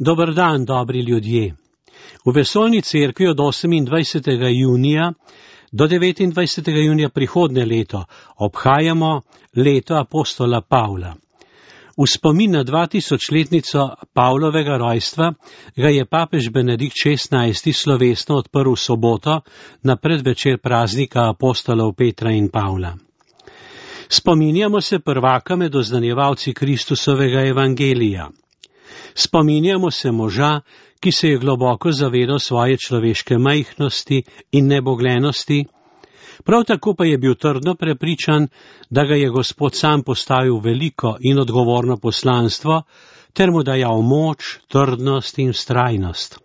Dober dan, dobri ljudje. V Vesoljni cerkvi od 28. junija do 29. junija prihodnje leto obhajamo leto apostola Pavla. V spomin na 2000-letnico Pavlovega rojstva ga je papež Benedikt XVI. Slovesno odprl v soboto na predvečer praznika apostolov Petra in Pavla. Spominjamo se prvaka med oznanjevalci Kristusovega evangelija. Spominjamo se moža, ki se je globoko zavedal svoje človeške majhnosti in neboglenosti, prav tako pa je bil trdno prepričan, da ga je Gospod sam postavil veliko in odgovorno poslanstvo, ter mu dajal moč, trdnost in vztrajnost.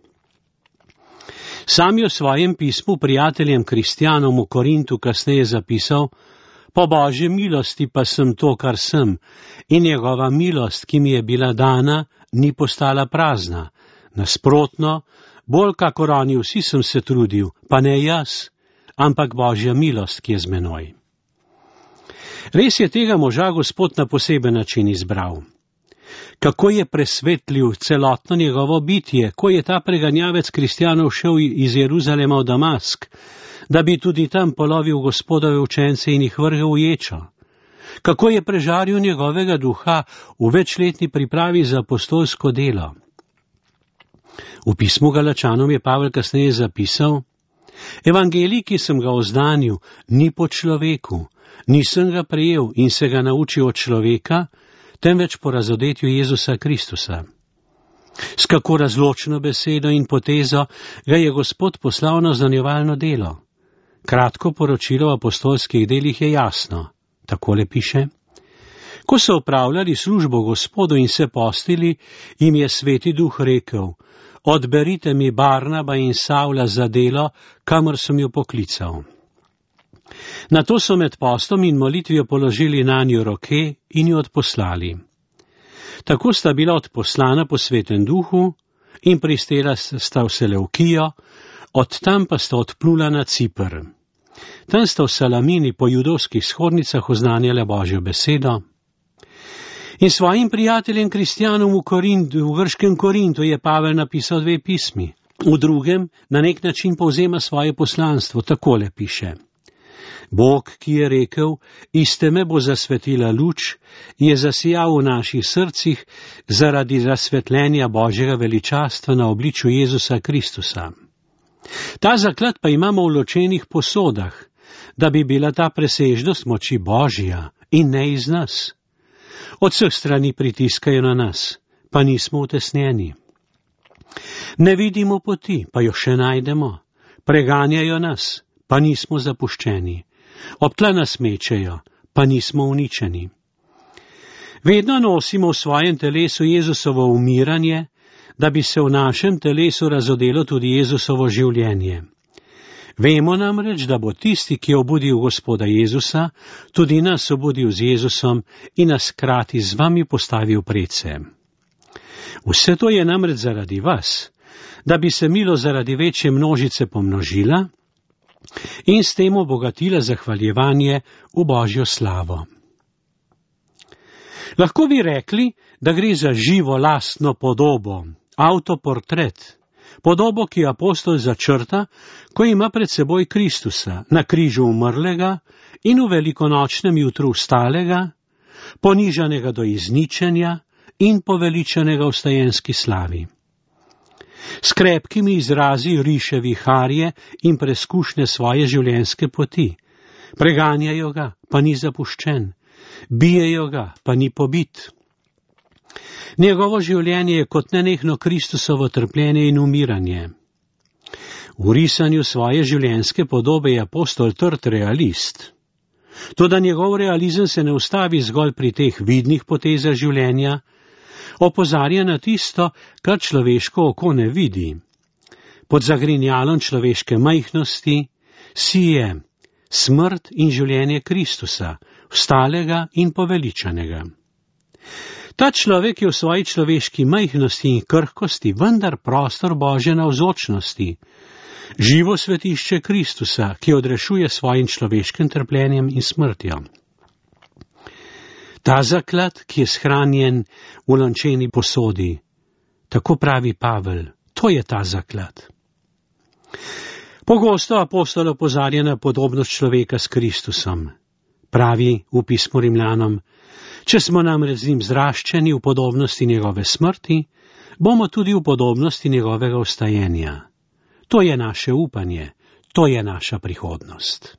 Sam je v svojem pismu prijateljem kristjanom v Korintu kasneje zapisal: Po Božji milosti pa sem to, kar sem, in njegova milost, ki mi je bila dana, ni postala prazna. Nasprotno, bolj kakor oni vsi sem se trudil, pa ne jaz, ampak Božja milost, ki je z menoj. Res je tega moža Gospod na poseben način izbral. Kako je presvetlil celotno njegovo bitje, ko je ta preganjavec kristjanov šel iz Jeruzalema v Damask, da bi tudi tam polovil Gospodove učence in jih vrgel v ječo. Kako je prežaril njegovega duha v večletni pripravi za apostolsko delo. V pismu Galačanom je Pavel kasneje zapisal: Evangelij, ki sem ga oznanil, ni po človeku, nisem ga prejel in se ga naučil od človeka, temveč po razodetju Jezusa Kristusa. S kako razločno besedo in potezo ga je Gospod poslal na oznanjevalno delo. Kratko poročilo o apostolskih delih je jasno. Takole piše: Ko so opravljali službo Gospodu in se postili, jim je Sveti Duh rekel: Odberite mi Barnaba in Savla za delo, kamor sem jo poklical. Nato so med postom in molitvijo položili nanjo roke in jo odposlali. Tako sta bila odposlana po Svetem Duhu in pristela sta v Selevkijo, od tam pa sta odplula na Ciper. Tam sta v Salamini po judovskih shodnicah oznanjala Božjo besedo. In svojim prijateljem kristjanom v grškem Korintu je Pavel napisal 2 pismi. V drugem na nek način povzema svoje poslanstvo, takole piše: Bog, ki je rekel, iz teme bo zasvetila luč, je zasijal v naših srcih zaradi razsvetljenja Božjega veličastva na obličju Jezusa Kristusa. Ta zaklad pa imamo v ločenih posodah, da bi bila ta presežnost moči Božja in ne iz nas. Od vseh strani pritiskajo na nas, pa nismo utesnjeni. Ne vidimo poti, pa jo še najdemo. Preganjajo nas, pa nismo zapuščeni. Ob tla nas mečejo, pa nismo uničeni. Vedno nosimo v svojem telesu Jezusovo umiranje, da bi se v našem telesu razodelo tudi Jezusovo življenje. Vemo namreč, da bo tisti, ki je obudil Gospoda Jezusa, tudi nas obudil z Jezusom in nas hkrati z vami postavil predse. Vse to je namreč zaradi vas, da bi se milost zaradi večje množice pomnožila in s tem obogatila zahvaljevanje v Božjo slavo. Lahko bi rekli, da gre za živo lastno podobo, avtoportret, podobo, ki apostol začrta, ko ima pred seboj Kristusa, na križu umrlega in v velikonočnem jutru vstalega, ponižanega do izničenja in poveličanega v stajenski slavi. S krepkimi izrazi riše viharje in preskušnje svoje življenjske poti. Preganjajo ga, pa ni zapuščen. Bijejo ga, pa ni pobit. Njegovo življenje je kot nenehno Kristusovo trpljenje in umiranje. V risanju svoje življenjske podobe je apostol trd realist. Toda njegov realizem se ne ustavi zgolj pri teh vidnih potezah življenja, opozarja na tisto, kar človeško oko ne vidi. Pod zagrinjalom človeške majhnosti sije smrt in življenje Kristusa, vstalega in poveličanega. Ta človek je v svoji človeški majhnosti in krhkosti vendar prostor Božje navzočnosti, živo svetišče Kristusa, ki odrešuje svojim človeškim trpljenjem in smrtjo. Ta zaklad, ki je shranjen v lončeni posodi, Tako pravi Pavel, to je ta zaklad. Pogosto apostol opozarja na podobnost človeka s Kristusom. Pravi v pismu Rimljanom, če smo namreč z njim zraščeni v podobnosti njegove smrti, bomo tudi v podobnosti njegovega vstajenja. To je naše upanje, to je naša prihodnost.